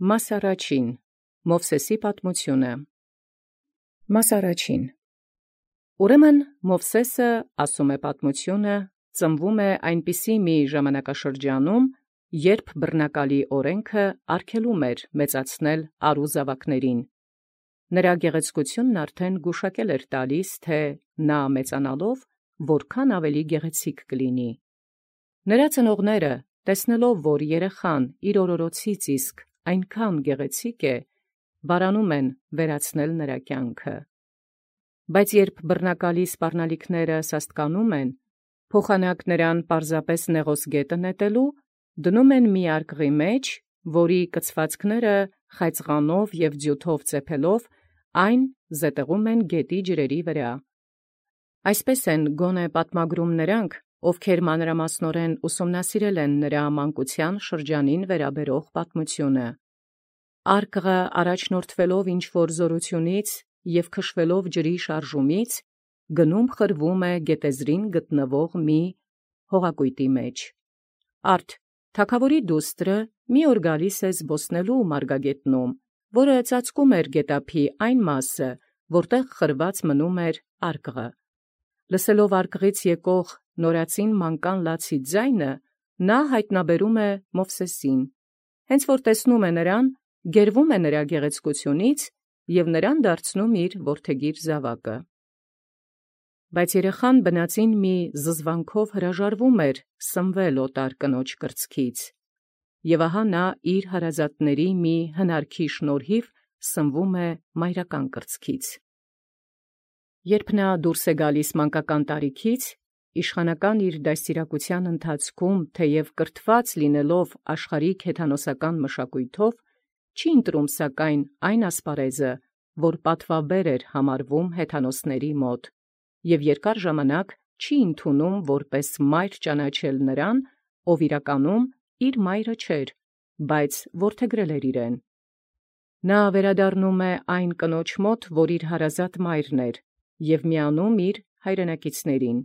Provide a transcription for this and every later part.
Մաս առաջին. Մովսեսի պատմությունը։ Մաս առաջին. Ուրեմն Մովսեսը, ասում է պատմությունը, ծնվում է այնպիսի մի ժամանակաշրջանում, երբ բռնակալի օրենքը արգելում էր մեծացնել առու զավակներին։ Նրա գեղեցկությունն արդեն գուշակել էր տալիս, թե նա մեծանալով որքան ավելի գեղեցիկ կլինի։ Նրա ծնողները, տեսնելով, որ երեխան իր օրորոցից իսկ այնքան գեղեցիկ է, վարանում են վերացնել նրա կյանքը։ Բայց երբ բռնակալի սպառնալիքները սաստկանում են, փոխանակ նրան պարզապես նեղոս գետը նետելու, դնում են մի արկղի մեջ, որի կցվածքները խայծղանով և ձիութով ծեփելով, այն զետեղում են գետի ջրերի վրա։ Այսպես են գոնե պատմագրում նրանք, ովքեր մանրամասնորեն ուսումնասիրել են նրա մանկության շրջանին վերաբերող պատմությունը։ Արկղը առաջնորդվելով ինչ-որ զորությունից և քշվելով ջրի շարժումից, գնում խրվում է գետեզրին գտնվող մի հողակույտի մեջ։ Արդ թագավորի դուստրը մի օր գալիս է զբոսնելու մարգագետնում, որը ծածկում էր գետափի այն մասը, որտեղ խրված մնում էր արկղը։ Լսելով արկղից եկող նորածին մանկան լացի ձայնը, նա հայտնաբերում է Մովսեսին։ Հենց որ տեսնում է նրան, գերվում է նրա գեղեցկությունից և նրան դարձնում իր որդեգիր զավակը։ Բայց երեխան բնածին մի զզվանքով հրաժարվում էր սնվել օտար կնոջ կրծքից, և ահա նա իր հարազատների մի հնարքի շնորհիվ սնվում է մայրական կրծքից։ Երբ նա դուրս է գալիս մանկական տարիքից, իշխանական իր դաստիարակության ընթացքում, թեև կրթված լինելով աշխարհիկ հեթանոսական մշակույթով, չի ընտրում սակայն այն ասպարեզը, որ պատվաբեր էր համարվում հեթանոսների մոտ, և երկար ժամանակ չի ընդունում որպես մայր ճանաչել նրան, ով իրականում իր մայրը չէր, բայց որդեգրել էր իրեն։ Նա վերադառնում է այն կնոջ մոտ, որ իր հարազատ մայրն էր, և միանում իր հայրենակիցներին։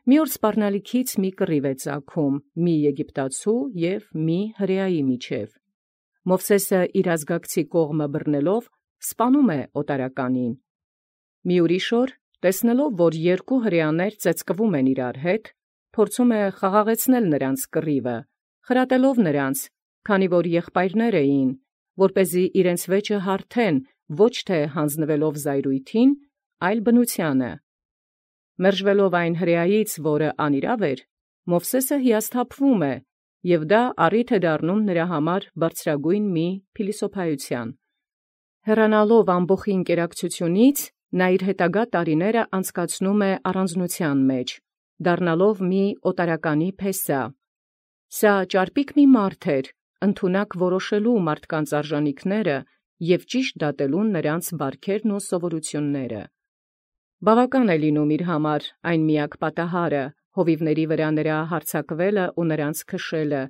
Մի օր սպառնալիքից մի կռիվ է ծագում մի եգիպտացու և մի հրեայի միջև։ Մովսեսը իր ազգակցի կողմը բռնելով սպանում է օտարականին։ Մի ուրիշ օր, տեսնելով, որ երկու հրեաներ ծեծկվում են իրար հետ, փորձում է խաղաղեցնել նրանց կռիվը, խրատելով նրանց, քանի որ եղբայրներ էին, որպեսզի իրենց վեճը հարթեն ոչ թե հանձնվելով զայրույթին, այլ բնությանը։ Մերժվելով այն հրեայից, որը անիրավ էր, Մովսեսը հիասթափվում է, և դա առիթ է դառնում նրա համար բարձրագույն մի փիլիսոփայության։ Հեռանալով ամբոխի ընկերակցությունից, նա իր հետագա տարիները անցկացնում է առանձնության մեջ, դառնալով մի օտարականի փեսա։ Սա ճարպիկ մի մարդ էր, ընդունակ որոշելու մարդկանց արժանիքները և ճիշտ դատելու նրանց բարքերն ու սովորությունները։ Բավական է լինում իր համար այն միակ պատահարը, հովիվների վրա նրա հարձակվելը ու նրանց քշելը,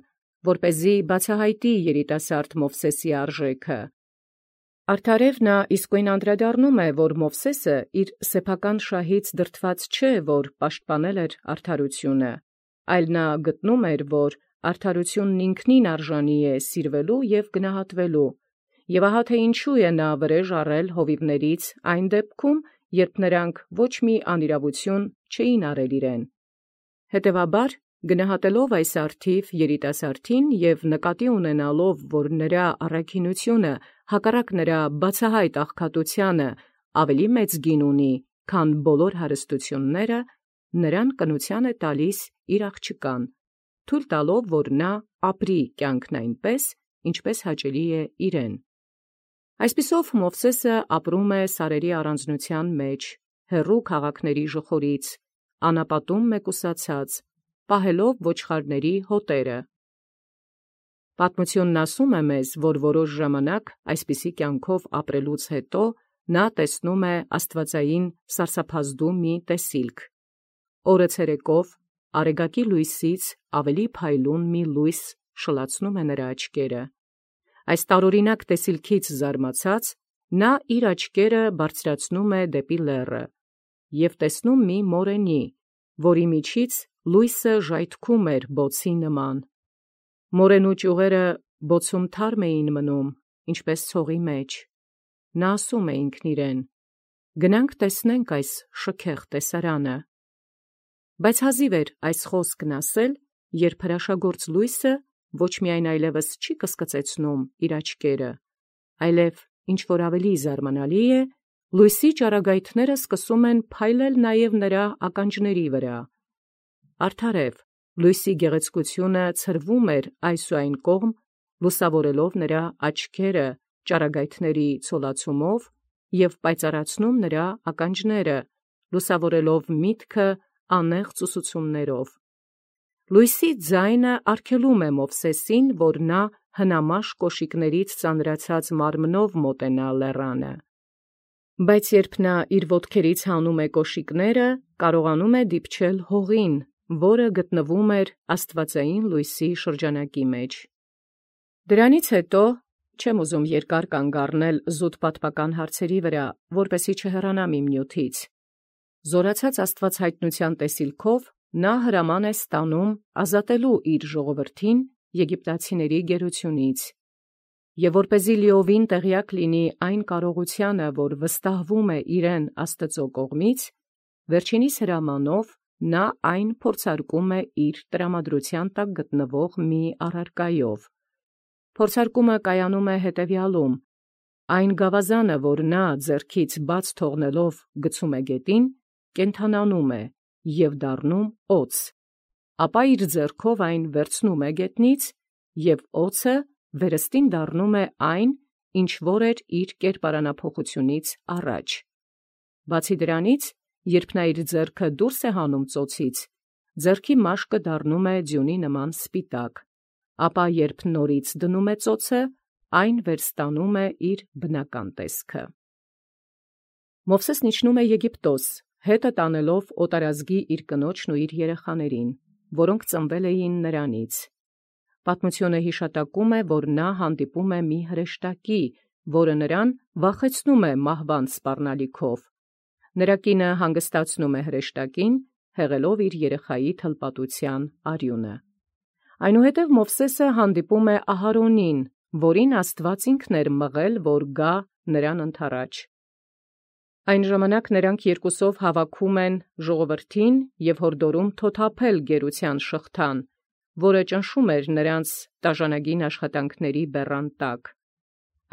որպեսզի բացահայտի երիտասարդ Մովսեսի արժեքը։ Արդարև նա իսկույն անդրադառնում է, որ Մովսեսը իր սեփական շահից դրդված չէ, որ պաշտպանել էր արդարությունը, այլ նա գտնում էր, որ արդարությունն ինքնին արժանի է սիրվելու և գնահատվելու, և ահա թե ինչու է նա վրեժ առել հովիվներից այն դեպքում, երբ նրանք ոչ մի անիրավություն չէին արել իրեն։ Հետևաբար, գնահատելով այս արդիվ երիտասարդին և նկատի ունենալով, որ նրա առաքինությունը հակառակ նրա բացահայտ աղքատությանը ավելի մեծ գին ունի, քան բոլոր հարստությունները, նրան կնության է տալիս իր աղջկան, թույլ տալով, որ նա ապրի կյանքն այնպես, ինչպես հաճելի է իրեն։ Այսպիսով Մովսեսը ապրում է սարերի առանձնության մեջ, հեռու քաղաքների ժխորից, անապատում մեկուսացած, պահելով ոչխարների հոտերը։ Պատմությունն ասում է մեզ, որ որոշ ժամանակ այսպիսի կյանքով ապրելուց հետո նա տեսնում է աստվածային սարսափազդու մի տեսիլք։ Օրը ցերեկով արեգակի լույսից ավելի փայլուն մի լույս շլացնում է նրա աչքերը։ Այս տարօրինակ տեսիլքից զարմացած, նա իր աչքերը բարձրացնում է դեպի լեռը և տեսնում մի մորենի, որի միջից լույսը ժայթքում էր բոցի նման։ Մորենու ճյուղերը բոցում թարմ էին մնում, ինչպես ցողի մեջ։ Նա ասում է ինքն իրեն. «Գնանք տեսնենք այս շքեղ տեսարանը»։ Բայց հազիվ էր այս խոսքն ասել, երբ հրաշագործ լույսը ոչ միայն այլևս չի կսկծեցնում իր աչքերը, այլև ինչ որ ավելի զարմանալի է, լույսի ճառագայթները սկսում են փայլել նաև նրա ականջների վրա։ Արդարև, լույսի գեղեցկությունը ցրվում էր այս ու այն կողմ, լուսավորելով նրա աչքերը ճառագայթների ցոլացումով և պայծառացնում նրա ականջները, լուսավորելով միտքը անեղծ ուսուցումներով։ Լույսի ձայնը արգելում է Մովսեսին, որ նա հնամաշ կոշիկներից ծանրացած մարմնով մոտենա լեռանը։ Բայց երբ նա իր ոտքերից հանում է կոշիկները, կարողանում է դիպչել հողին, որը գտնվում էր աստվածային լույսի շրջանակի մեջ։ Դրանից հետո չեմ ուզում երկար կանգ առնել զուտ պատմական հարցերի վրա, որպեսզի չհեռանամ իմ նյութից։ Զորացած աստվածհայտնության տեսիլքով նա հրաման է ստանում ազատելու իր ժողովրդին եգիպտացիների գերությունից։ Եվ որպեսզի լիովին տեղյակ լինի այն կարողությանը, որ վստահվում է իրեն Աստծո կողմից, վերջինիս հրամանով նա այն փորձարկում է իր տրամադրության տակ գտնվող մի առարկայով։ Փորձարկումը կայանում է հետևյալում. այն գավազանը, որ նա ձեռքից բաց թողնելով գցում է գետին, կենդանանում է և դառնում օձ, ապա իր ձեռքով այն վերցնում է գետնից, և օձը վերստին դառնում է այն, ինչ որ էր իր կերպարանափոխությունից առաջ։ Բացի դրանից, երբ նա իր ձեռքը դուրս է հանում ծոցից, ձեռքի մաշկը դառնում է ձյունի նման սպիտակ, ապա երբ նորից դնում է ծոցը, այն վերստանում է իր բնական տեսքը։ Մովսեսն իջնում է Եգիպտոս, հետը տանելով օտարազգի իր կնոջն ու իր երեխաներին, որոնք ծնվել էին նրանից։ Պատմությունը հիշատակում է, որ նա հանդիպում է մի հրեշտակի, որը նրան վախեցնում է մահվան սպառնալիքով։ Նրա կինը հանգստացնում է հրեշտակին, հեղելով իր երեխայի թլպատության արյունը։ Այնուհետև Մովսեսը հանդիպում է Ահարոնին, որին Աստված ինքն էր մղել, որ գա նրան ընդառաջ։ Այն ժամանակ նրանք երկուսով հավաքում են ժողովրդին և հորդորում թոթափել գերության շղթան, որը ճնշում էր նրանց տաժանագին աշխատանքների բեռան տակ։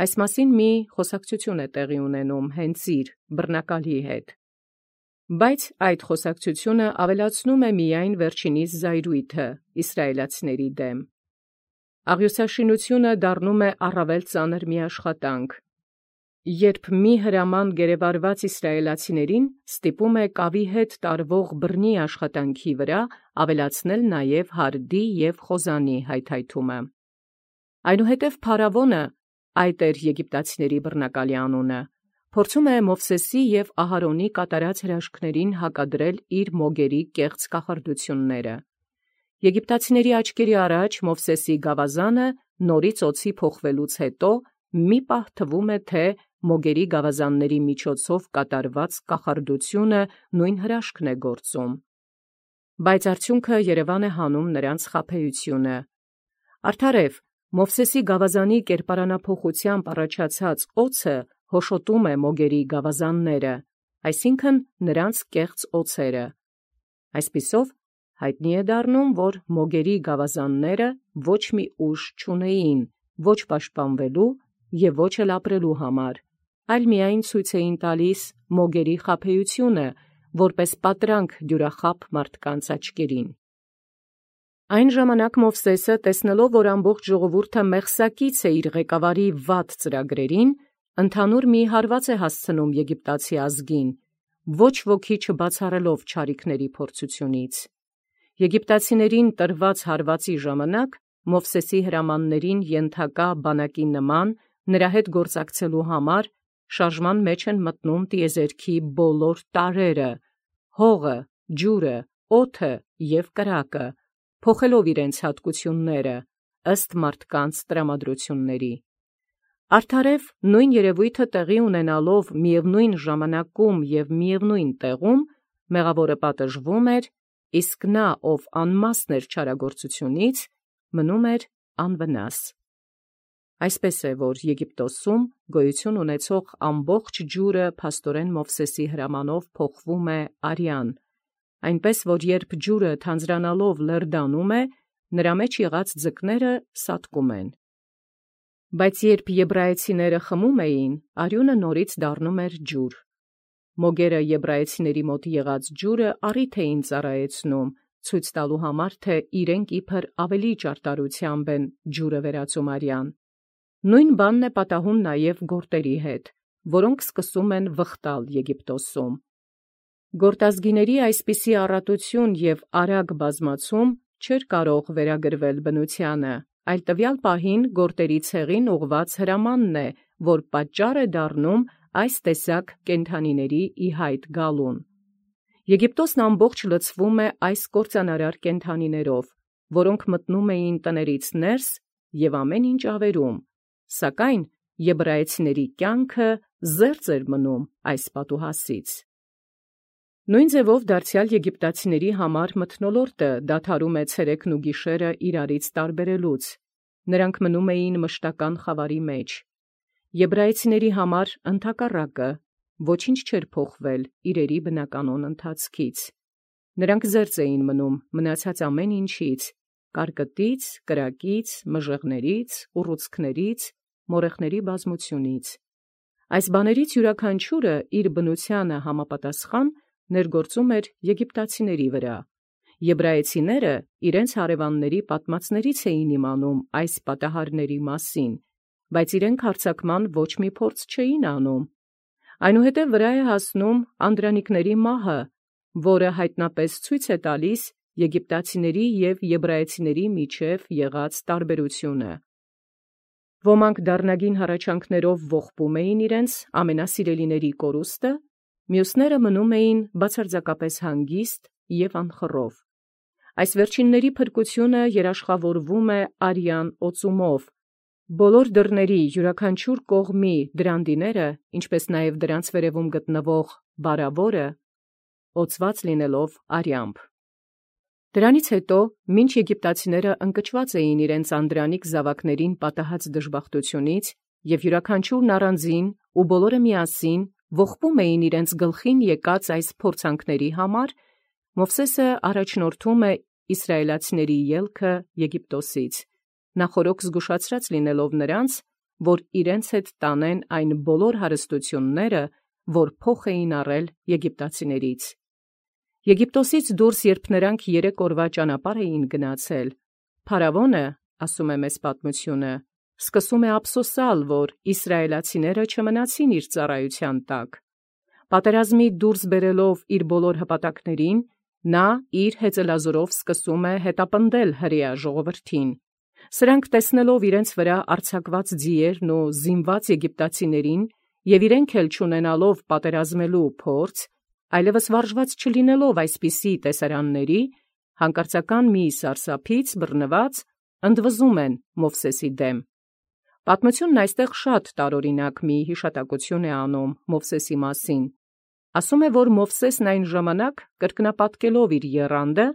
Այս մասին մի խոսակցություն է տեղի ունենում հենց իր բռնակալի հետ։ Բայց այդ խոսակցությունը ավելացնում է միայն վերջինիս զայրույթը իսրայելացիների դեմ։ Աղյուսաշինությունը դառնում է առավել ծանր մի աշխատանք, երբ մի հրաման գերեվարված իսրայելացիներին ստիպում է կավի հետ տարվող բռնի աշխատանքի վրա ավելացնել նաև հարդի և խոզանի հայթայթումը։ Այնուհետև Փարավոնը, այդ էր եգիպտացիների բռնակալի անունը, փորձում է Մովսեսի և Ահարոնի կատարած հրաշքներին հակադրել իր մոգերի կեղծ կախարդությունները։ Եգիպտացիների աչքերի առաջ Մովսեսի գավազանը նորից օձի փոխվելուց հետո մի պահ թվում է, թե մոգերի գավազանների միջոցով կատարված կախարդությունը նույն հրաշքն է գործում։ Բայց արդյունքը երևան է հանում նրանց խաբեությունը։ Արդարև, Մովսեսի գավազանի կերպարանափոխությամբ առաջացած օձը հոշոտում է մոգերի գավազանները, այսինքն նրանց կեղծ օձերը։ Այսպիսով, հայտնի է դառնում, որ մոգերի գավազանները ոչ մի ուժ չունեին, ոչ պաշտպանվելու և ոչ էլ ապրելու համար, այլ միայն ցույց էին տալիս մոգերի խաբեությունը, որպես պատրանք դյուրախաբ մարդկանց աչքերին։ Այն ժամանակ Մովսեսը, տեսնելով, որ ամբողջ ժողովուրդը մեղսակից է իր ղեկավարի վատ ծրագրերին, ընդհանուր մի հարված է հասցնում եգիպտացի ազգին, ոչ ոքի չբացառելով չարիքների փորձությունից։ Եգիպտացիներին տրված հարվածի ժամանակ Մովսեսի հրամաններին ենթակա բանակի նման նրա հետ գործակցելու համար շարժման մեջ են մտնում տիեզերքի բոլոր տարրերը, հողը, ջուրը, օդը և կրակը, փոխելով իրենց հատկությունները ըստ մարդկանց տրամադրությունների։ Արդարև նույն երևույթը տեղի ունենալով միևնույն ժամանակում և միևնույն տեղում, մեղավորը պատժվում էր, իսկ նա, ով անմասն էր չարագործությունից, մնում էր անվնաս։ Այսպես է, որ Եգիպտոսում գոյություն ունեցող ամբողջ ջուրը փաստորեն Մովսեսի հրամանով փոխվում է արյան, այնպես որ երբ ջուրը թանձրանալով լերդանում է, նրա մեջ եղած ձկները սատկում են։ Բայց երբ եբրայեցիները խմում էին, արյունը նորից դառնում էր ջուր։ Մոգերը եբրայեցիների մոտ եղած ջուրը առիթ էին ծառայեցնում, ցույց տալու համար, թե իրենք իբր ավելի ճարտարությամբ են ջուրը վերածում արյան։ Նույն բանն է պատահում նաև գորտերի հետ, որոնք սկսում են վխտալ Եգիպտոսում։ Գորտազգիների այսպիսի առատություն և արագ բազմացում չէր կարող վերագրվել բնությանը, այլ տվյալ պահին գորտերի ցեղին ուղղված հրամանն է, որ պատճառ է դառնում այս տեսակ կենդանիների ի հայտ գալուն։ Եգիպտոսն ամբողջ լցվում է այս կործանարար կենդանիներով, որոնք մտնում էին տներից ներս և ամեն ինչ ավերում, սակայն եբրայեցիների կյանքը զերծ էր մնում այս պատուհասից։ Նույն ձևով դարձյալ եգիպտացիների համար մթնոլորտը դադարում է ցերեկն ու գիշերը իրարից տարբերելուց, նրանք մնում էին մշտական խավարի մեջ։ Եբրայեցիների համար ընդհակառակը ոչինչ չէր փոխվել իրերի բնականոն ընթացքից։ Նրանք զերծ էին մնում մնացած ամեն ինչից, կարկտից, կրակից, մժեղներից, ուռուցքներից, մորեխների բազմությունից։ Այս բաներից յուրաքանչյուրը իր բնությանը համապատասխան ներգործում էր եգիպտացիների վրա։ Եբրայեցիները իրենց հարևանների պատմածներից էին իմանում այս պատահարների մասին, բայց իրենք հարձակման ոչ մի փորձ չէին անում։ Այնուհետև վրա է հասնում անդրանիկների մահը, որը հայտնապես ցույց է տալիս եգիպտացիների և եբրայեցիների միջև եղած տարբերությունը։ Ոմանք դառնագին հառաչանքներով ողբում էին իրենց ամենասիրելիների կորուստը, մյուսները մնում էին բացարձակապես հանգիստ և անխռով։ Այս վերջինների փրկությունը երաշխավորվում է արյան օծումով։ Բոլոր դռների յուրաքանչյուր կողմի դրանդիները, ինչպես նաև դրանց վերևում գտնվող բարավորը, օծված լինելով արյամբ։ Դրանից հետո, մինչ եգիպտացիները ընկճված էին իրենց անդրանիկ զավակներին պատահած դժբախտությունից և յուրաքանչյուրն առանձին ու բոլորը միասին ողբում էին իրենց գլխին եկած այս փորձանքների համար, Մովսեսը առաջնորդում է իսրայելացիների ելքը Եգիպտոսից, նախօրոք զգուշացրած լինելով նրանց, որ իրենց հետ տանեն այն բոլոր հարստությունները, որ փոխ էին առել եգիպտացիներից։ Եգիպտոսից դուրս երբ նրանք 3 օրվա ճանապարհ էին գնացել, փարավոնը, ասում է մեզ պատմությունը, սկսում է ափսոսալ, որ իսրայելացիները չմնացին իր ծառայության տակ։ Պատերազմի դուրս բերելով իր բոլոր հպատակներին, նա իր հեծելազորով սկսում է հետապնդել հրեա ժողովրդին։ Սրանք տեսնելով իրենց վրա արձակված ձիերն ու զինված եգիպտացիներին և իրենք էլ չունենալով պատերազմելու փորձ, այլևս վարժված չլինելով այսպիսի տեսարանների, հանկարծական մի սարսափից բռնված ընդվզում են Մովսեսի դեմ։ Պատմությունն այստեղ շատ տարօրինակ մի հիշատակություն է անում Մովսեսի մասին։ Ասում է, որ Մովսեսն այն ժամանակ կրկնապատկելով իր եռանդը,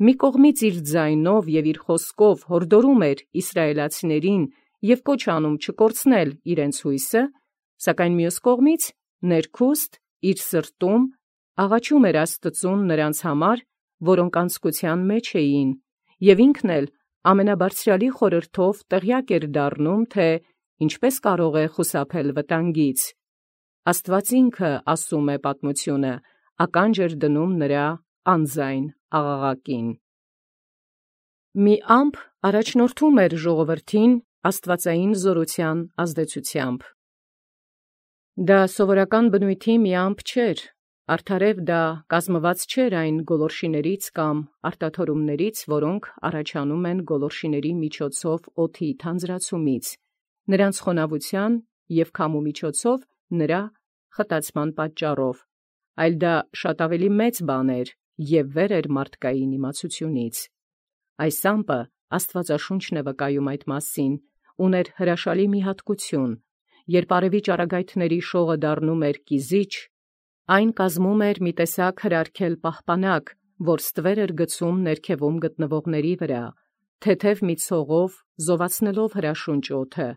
մի կողմից իր ձայնով և իր խոսքով հորդորում էր իսրայելացիներին և կոչ անում չկորցնել իրենց հույսը, սակայն մյուս կողմից ներքուստ իր սրտում աղաչում էր Աստծուն նրանց համար, որոնք անձկության մեջ էին, և ինքն էլ ամենաբարձրյալի խորհրդով տեղյակ էր դառնում, թե ինչպես կարող է խուսափել վտանգից։ Աստված ինքը, ասում է պատմությունը, ականջ էր դնում նրա անձայն աղաղակին։ Մի ամպ առաջնորդում էր ժողովրդին աստվածային զորության ազդեցությամբ։ Դա սովորական բնույթի մի ամպ չէր, արդարև դա կազմված չէր այն գոլորշիներից կամ արտաթորումներից, որոնք առաջանում են գոլորշիների միջոցով օդի թանձրացումից, նրանց խոնավության և քամու միջոցով նրա խտացման պատճառով, այլ դա շատ ավելի մեծ բան էր և վեր էր մարդկային իմացությունից։ Այս ամպը, Աստվածաշունչն է վկայում այդ մասին, ուներ հրաշալի մի հատկություն, երբ արևի ճառագայթների շողը դառնում էր կիզիչ, այն կազմում էր մի տեսակ հրարգել պահպանակ, որ ստվեր էր գցում ներքևում գտնվողների վրա, թեթև մի ցողով զովացնելով հրաշունչ օդը,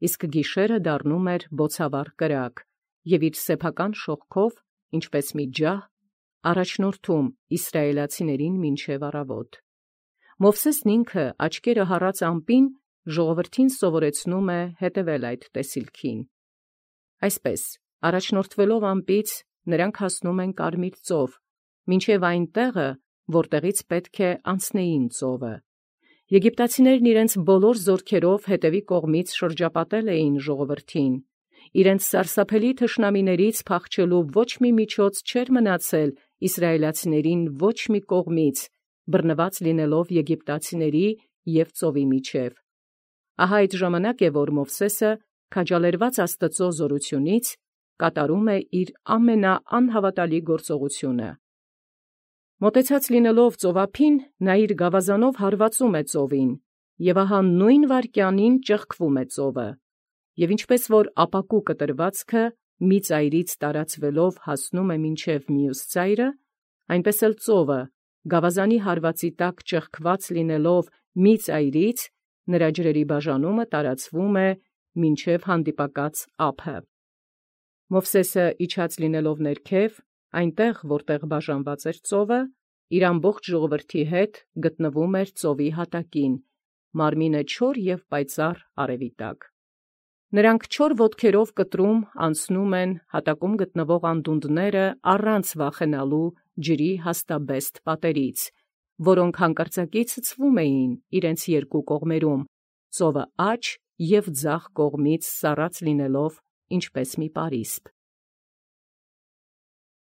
իսկ գիշերը դառնում էր բոցավառ կրակ, և իր սեփական շողքով, ինչպես մի ջահ, առաջնորդում իսրայելացիներին մինչև առավոտ։ Մովսեսն ինքը աչքերը հառած ամպին ժողովրդին սովորեցնում է հետևել այդ տեսիլքին։ Այսպես, առաջնորդվելով ամպից, նրանք հասնում են Կարմիր ծով, մինչև այն տեղը, որտեղից պետք է անցնեին ծովը։ Եգիպտացիներն իրենց բոլոր զորքերով հետևի կողմից շրջապատել էին ժողովրդին։ Իրենց սարսափելի թշնամիներից փախչելու ոչ մի միջոց չէր մնացել իսրայելացիներին ոչ մի կողմից, բռնված լինելով եգիպտացիների և ծովի միջև։ Ահա այդ ժամանակ է, որ Մովսեսը, քաջալերված Աստծո զորությունից, կատարում է իր ամենաանհավատալի գործողությունը։ Մոտեցած լինելով ծովափին, նա իր գավազանով հարվածում է ծովին, և ահա նույն վայրկյանին ճեղքվում է ծովը, և ինչպես որ ապակու կտրվածքը մի ծայրից տարածվելով հասնում է մինչև մյուս ծայրը, այնպես էլ ծովը, գավազանի հարվածի տակ ճեղքված լինելով մի ծայրից, նրա ջրերի բաժանումը տարածվում է մինչև հանդիպակաց ափը։ Մովսեսը իջած լինելով ներքև, այնտեղ, որտեղ բաժանված էր ծովը, իր ամբողջ ժողովրդի հետ գտնվում էր ծովի հատակին, մարմինը չոր և պայծառ արևի տակ։ Նրանք չոր ոտքերով կտրում անցնում են հատակում գտնվող անդունդները առանց վախենալու ջրի հաստաբեստ պատերից, որոնք հանկարծակի ցցվում էին իրենց երկու կողմերում, ծովը աջ և ձախ կողմից սառած լինելով ինչպես մի պարիսպ։